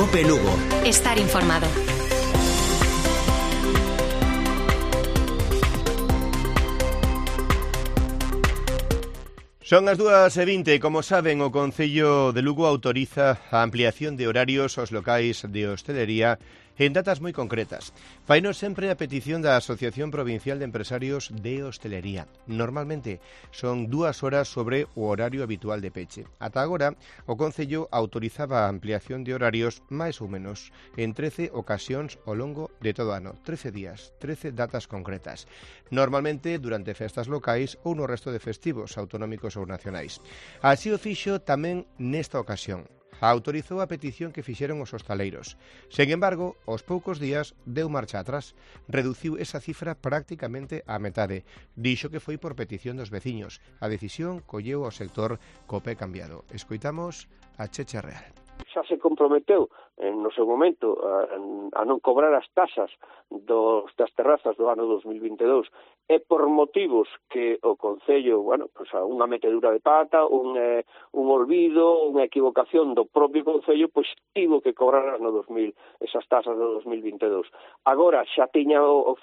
COPE Lugo. Estar informado. Son as 2:20, como saben, o Concello de Lugo autoriza a ampliación de horarios aos locais de hostelería en datas moi concretas. Faino sempre a petición da Asociación Provincial de Empresarios de Hostelería. Normalmente son 2 horas sobre o horario habitual de peche. Ata agora, o Concello autorizaba a ampliación de horarios máis ou menos en 13 ocasións ao longo de todo o ano. 13 días, 13 datas concretas. Normalmente durante festas locais ou no resto de festivos autonómicos ou nacionais. Así o fixo tamén nesta ocasión. Autorizou a petición que fixeron os hostaleiros. Sen embargo, aos poucos días deu marcha atrás. Reduciu esa cifra prácticamente á metade. Dixo que foi por petición dos veciños. A decisión colleu ao sector co pé cambiado. Escoitamos a Checha Real. Xa se comprometeu no seu momento a non cobrar as taxas das terrazas do ano 2022 e por motivos que o Concello, unha metedura de pata, un olvido, unha equivocación do propio Concello, pois tivo que cobrar esas taxas do 2022. Agora xa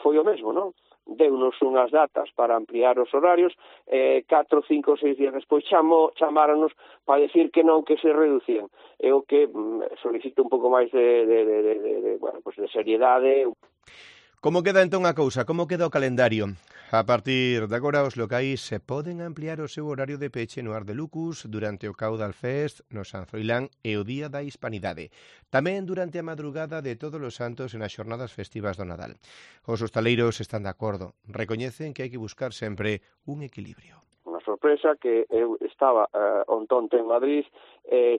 foi o mesmo, non? Deunos unhas datas para ampliar os horarios, 4, 5, 6 días despois chamáronos para decir que non, que se reducían. É o que solicito un pouco máis de seriedade. Como queda entón a cousa? Como queda o calendario? A partir de agora, os locais se poden ampliar o seu horario de peche no Ar de Lucus durante o Caudal Fest, no San Froilán e o Día da Hispanidade. Tamén durante a madrugada de Todos os Santos e nas xornadas festivas do Nadal. Os hostaleiros están de acordo. Recoñecen que hai que buscar sempre un equilibrio. Unha sorpresa que eu estaba ontonte en Madrid,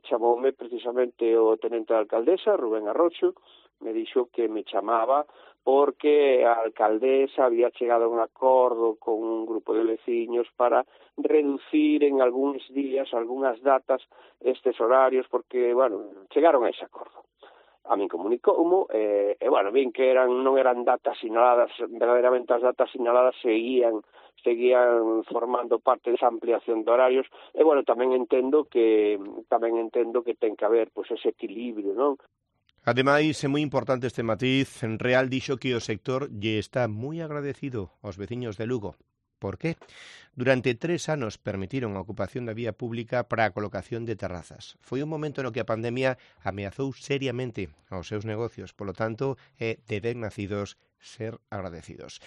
chamoume precisamente o tenente da alcaldesa, Rubén Arrocho, me dixo que me chamaba porque a alcaldesa había chegado a un acordo con un grupo de veciños para reducir en algúns días, algunhas datas, estes horarios, porque, chegaron a ese acordo. A min comunicoumo, vin que non eran datas sinaladas, verdadeiramente as datas sinaladas seguían formando parte desa ampliación de horarios, e, tamén entendo que ten que haber ese equilibrio, non? Ademais, é moi importante este matiz. En Real dixo que o sector lle está moi agradecido aos veciños de Lugo. Por qué? Durante 3 anos permitiron a ocupación da vía pública para a colocación de terrazas. Foi un momento no que a pandemia ameazou seriamente aos seus negocios. Polo tanto, é de ben nacidos ser agradecidos.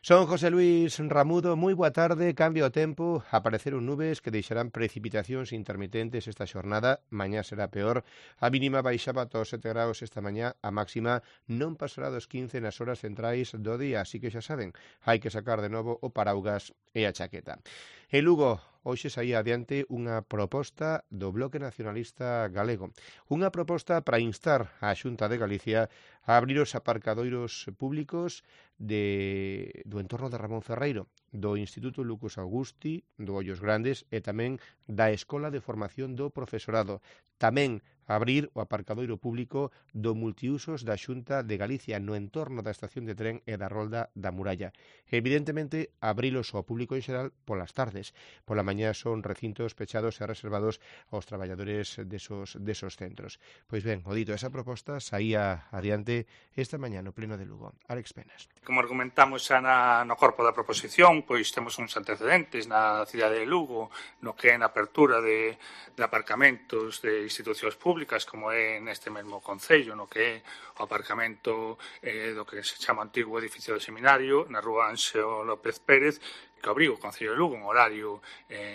Son José Luis Ramudo, moi boa tarde, cambia o tempo, apareceron nubes que deixarán precipitacións intermitentes esta xornada, mañá será peor, a mínima baixaba ata os 7 graus esta mañá, a máxima non pasará dos 15 nas horas centrais do día, así que xa saben, hai que sacar de novo o paraugas e a chaqueta. En Lugo, hoxe saía adiante unha proposta do Bloque Nacionalista Galego. Unha proposta para instar a Xunta de Galicia a abrir os aparcadoiros públicos do entorno de Ramón Ferreiro, do Instituto Lucus Augusti, do Ollos Grandes e tamén da Escola de Formación do Profesorado. Tamén abrir o aparcadoiro público do multiusos da Xunta de Galicia no entorno da estación de tren e da Rolda da Muralla. Evidentemente, abrilos ao público en xeral polas tardes. Pola mañá son recintos pechados e reservados aos traballadores desos centros. Pois ben, o dito, esa proposta saía adiante esta mañá no Pleno de Lugo. Alex Penas. Como argumentamos xa no corpo da proposición, pois temos uns antecedentes na cidade de Lugo, no que é na apertura de aparcamentos de institucións públicas, como é neste mesmo concello, no que é o aparcamento do que se chama antigo edificio do seminario, na rúa Anxo López Pérez, que abriu o Concello de Lugo en horario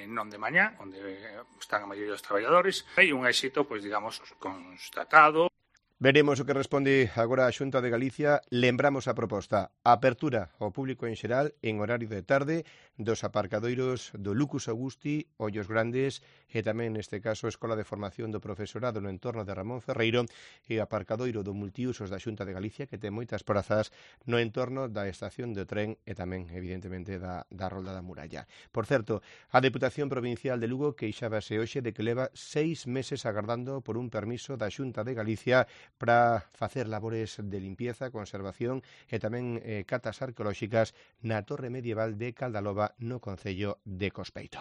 non de mañá, onde están a maioría dos traballadores. Hai un éxito, pois digamos, constatado. Veremos o que responde agora a Xunta de Galicia. Lembramos a proposta: apertura ao público en xeral en horario de tarde dos aparcadoiros do Lucus Augusti, Ollos Grandes e tamén neste caso Escola de Formación do Profesorado no entorno de Ramón Ferreiro e o aparcadoiro do multiusos da Xunta de Galicia, que ten moitas prazas no entorno da estación de tren e tamén, evidentemente, da Rolda da Muralla. Por certo, a Deputación Provincial de Lugo queixábase hoxe de que leva 6 meses agardando por un permiso da Xunta de Galicia para facer labores de limpieza, conservación e tamén catas arqueolóxicas na torre medieval de Caldaloba no concello de Cospeito.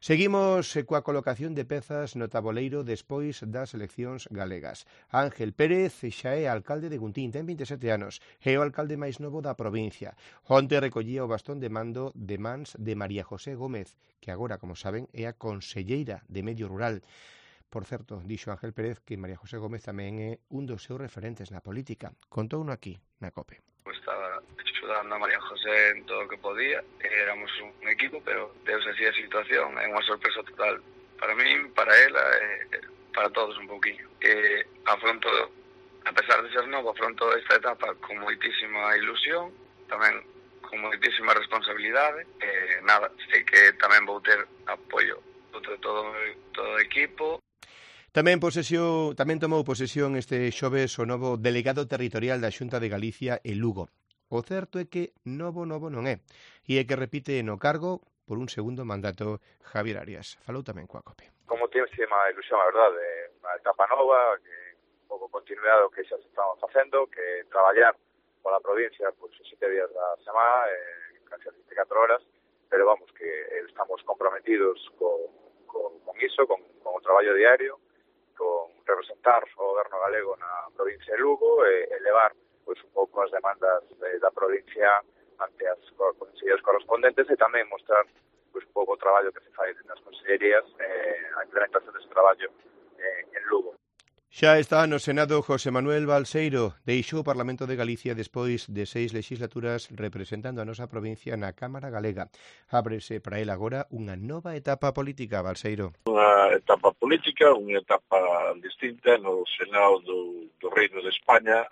Seguimos coa colocación de pezas no taboleiro despois das eleccións galegas. Ángel Pérez xa é alcalde de Guntín, ten 27 anos, é o alcalde máis novo da provincia. Onte recollía o bastón de mando de mans de María José Gómez, que agora, como saben, é a conselleira de Medio Rural. Por certo, dixo Ángel Pérez que María José Gómez tamén é un dos seus referentes na política. Contouno aquí, na COPE. Estaba axudando a María José en todo o que podía, éramos un equipo, pero deus así a situación, é unha sorpresa total para min, para ela, para todos un pouquinho. Afronto, a pesar de ser novo, afronto esta etapa con moitísima ilusión, tamén con moitísima responsabilidade, nada, sei que tamén vou ter apoio de todo o equipo. Tamén tomou posesión este xoves o novo delegado territorial da Xunta de Galicia e Lugo. O certo é que novo non é, e é que repite no cargo por un segundo mandato Javier Arias. Falou tamén coa COPE. Como muchísima ilusión, a verdade, unha etapa nova, que un pouco continuidade do que xa se estamos facendo, que traballar pola provincia pues, 7 días da semana, casi 24 horas, pero vamos, que estamos comprometidos con iso, con o traballo diario, con representar o goberno galego na provincia de Lugo e levar pois un pouco as demandas da provincia ante as consellerías correspondentes e tamén mostrar pois un pouco o traballo que se fai nas consellerías a implementación desse traballo en Lugo. Xa está no Senado José Manuel Balseiro, deixou o Parlamento de Galicia despois de 6 legislaturas representando a nosa provincia na Cámara Galega. Ábrese para ele agora unha nova etapa política, Balseiro. Unha etapa política, unha etapa distinta no Senado do Reino de España.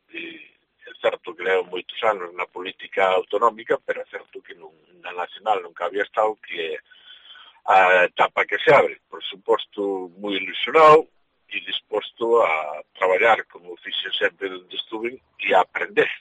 É certo que levo moitos anos na política autonómica, pero é certo que na nacional nunca había estado, que é a etapa que se abre. Por suposto, moi ilusionado, e disposto a traballar como fixo sempre onde estuve e a aprender.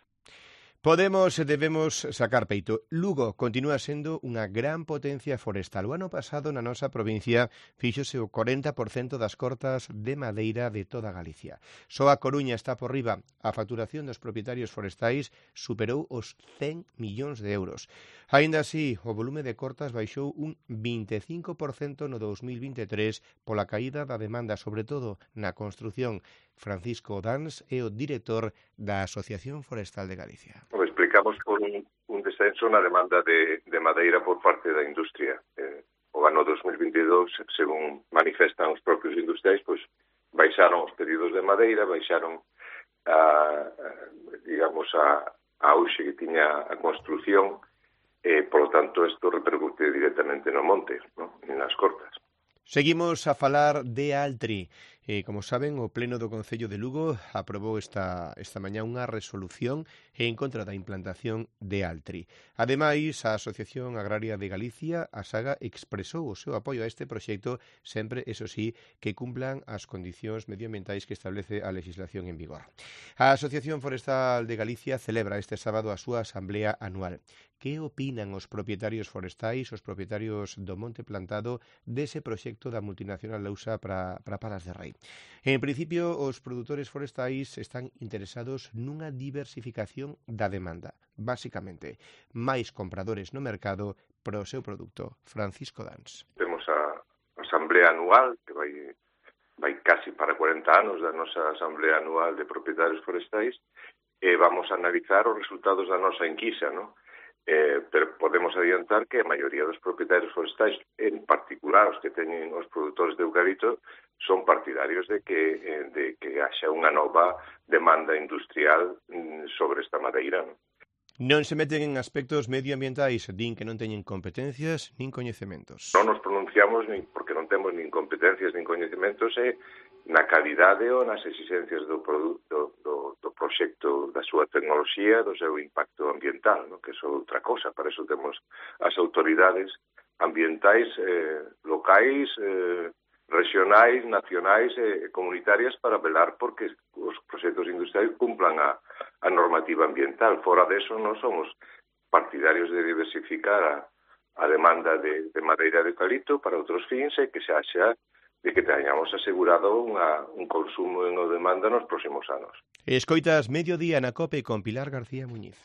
Podemos e debemos sacar peito. Lugo continúa sendo unha gran potencia forestal. O ano pasado na nosa provincia fíxose o 40% das cortas de madeira de toda Galicia. Só a Coruña está por riba. A facturación dos propietarios forestais superou os 100 millóns de euros. Aínda así, o volume de cortas baixou un 25% no 2023 pola caída da demanda, sobre todo na construción. Francisco Dans é o director da Asociación Forestal de Galicia. Explicamos por un descenso na demanda de madeira por parte da industria. O ano 2022, según manifestan os propios industriais, pois baixaron os pedidos de madeira, baixaron a auxe que tiña a construción, por lo tanto, isto repercute directamente no monte, ¿no? Nas cortas. Seguimos a falar de Altri. Como saben, o Pleno do Concello de Lugo aprobou esta mañá unha resolución en contra da implantación de Altri. Ademais, a Asociación Agraria de Galicia, a SAGA, expresou o seu apoio a este proxecto, sempre, eso sí, que cumplan as condicións medioambientais que establece a legislación en vigor. A Asociación Forestal de Galicia celebra este sábado a súa asamblea anual. Que opinan os propietarios forestais, os propietarios do monte plantado, dese proxecto da multinacional Lausa para Palas de Rei? En principio, os produtores forestais están interesados nunha diversificación da demanda. Básicamente, máis compradores no mercado para o seu produto. Francisco Dans. Temos a asamblea anual, que vai casi para 40 anos da nosa asamblea anual de propietarios forestais, e vamos a analizar os resultados da nosa enquisa, non? Pero podemos adiantar que a maioría dos propietarios forestais, en particular os que teñen os produtores de eucalipto, son partidarios de que haxa unha nova demanda industrial sobre esta madeira. Non se meten en aspectos medioambientais, din que non teñen competencias nin coñecementos. Non nos pronunciamos porque non temos nin competencias nin coñecementos na calidade ou nas exigencias do produto, do proxecto, da súa tecnoloxía, do seu impacto ambiental, no? Que é outra cosa. Para eso temos as autoridades ambientais locais, regionais, nacionais e comunitarias para velar porque os proxectos industriais cumplan a normativa ambiental. Fora deso, non somos partidarios de diversificar a demanda de madeira de eucalipto para outros fins e que se haxa de que teñamos asegurado un consumo en o demanda nos próximos anos. Escoitas Mediodía na COPE con Pilar García Muñiz.